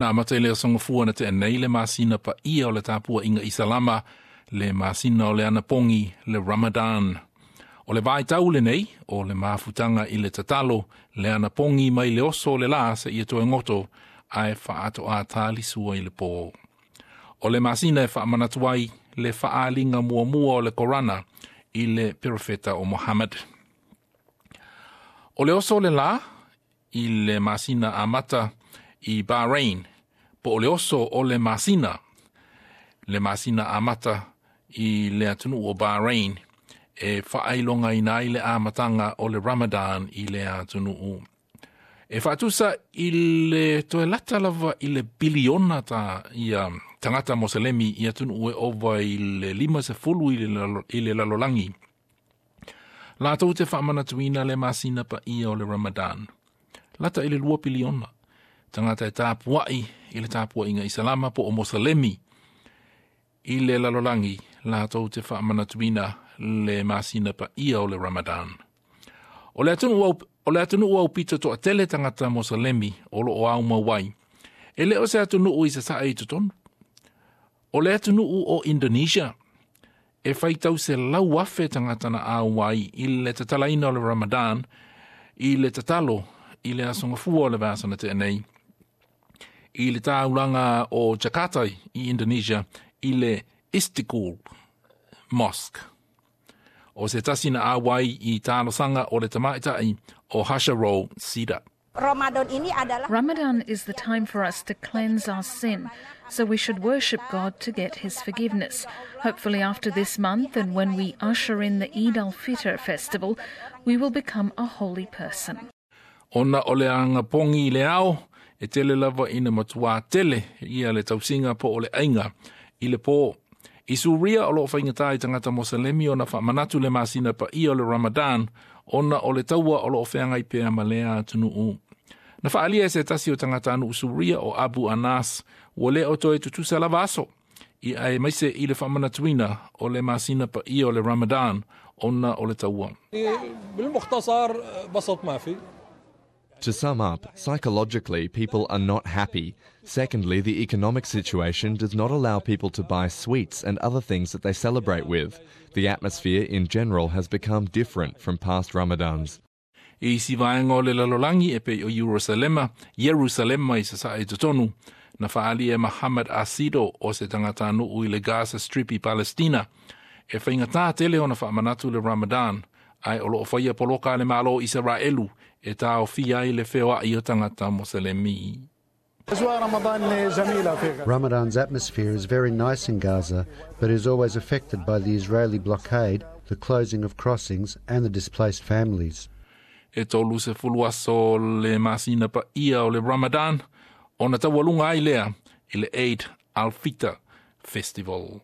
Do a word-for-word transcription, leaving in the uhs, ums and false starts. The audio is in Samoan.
Na amata i le aso Gafua na tea nei le masina paia o le tapuaiga Isalama, le masina o le anapogi, le Ramadan. O le vaitau lenei o le mafutaga i le tatalo, le anapogi mai le oso o le lā seia toe goto ae faatoa talisua i le pō. O le masina e faamanatu ai le faaaliga muamua o le Korana i le perofeta o Mohammed. O le oso o le lā i le masina amata i Bahrain, po o le oso o le masina, le masina amata i le atunuu o Bahrain, e faailogaina ai le amataga o le Ramadan i le atunuu. E faatusa i le toe lata lava i le piliona ta ia tagata Moselemi i atunuu e ova i le lima sefulu i le, lalo, i le lalolagi latou te faamanatuina le masina paia o le Ramadan. Lata i le lua piliona tagata e tapuai i le tapuaiga Isalama po o Moselemi i le lalolagi latou te faamanatuina le masina paia o le Ramadan. O le atunuu au, o le atunuu aupito toatele tagata Moselemi o loo aumau ai. E le o se atunuu i sasae i totonu. O le atunuu o Indonesia e faitau selau afe tagata na auai i le tatalaina o le Ramadan i le tatalo i le aso Gafua o le vaiaso na tea nei i le taulaga o Jakarta i Indonesia i le Istiqlal Mosque. O se tasi na auai i talosaga o le tamaitai o Hasharo Sida. Ramadan ini adalah Ramadan is the time for us to cleanse our sin, so we should worship God to get His forgiveness. Hopefully, after this month and when we usher in the Eid al Fitr festival, we will become a holy person. Ona o le anapogi i le ao, e tele lava ina matuā tele ia le tausiga po o le aiga i le pō. I Suria o loo faigata i tagata Moselemi ona faamanatu le masina paia o le Ramadan ona o le taua o loo feagai pea ma lea atunuu. Na faaalia e se tasi o tagatanuu Suria o Abu Anas ua le o toe tutusa lava aso i aemaise i le faamanatuina o le masina paia o le Ramadan ona o le taua. بالمختصر بسط ما في To sum up, psychologically, people are not happy. Secondly, the economic situation does not allow people to buy sweets and other things that they celebrate with. The atmosphere in general has become different from past Ramadans. I isi vaega o le lalolagi e pei o Yerusalema, Yerusalema i sasae i totonu, na faaalia e Muhammad Asido o se tagatanuu i le Gaza Strip i Palestina, e faigata tele ona faamanatu le Ramadan, ae o loo faia poloka le Malo Isaraelu e taofia ai le feoai o tagata Moselemi. Ramadan's atmosphere is very nice in Gaza, but is always affected by the Israeli blockade, the closing of crossings, and the displaced families. E tolu sefulu aso le masina paia o le Ramadan, ona taualuga ai lea i le Eid al-Fitr Festival.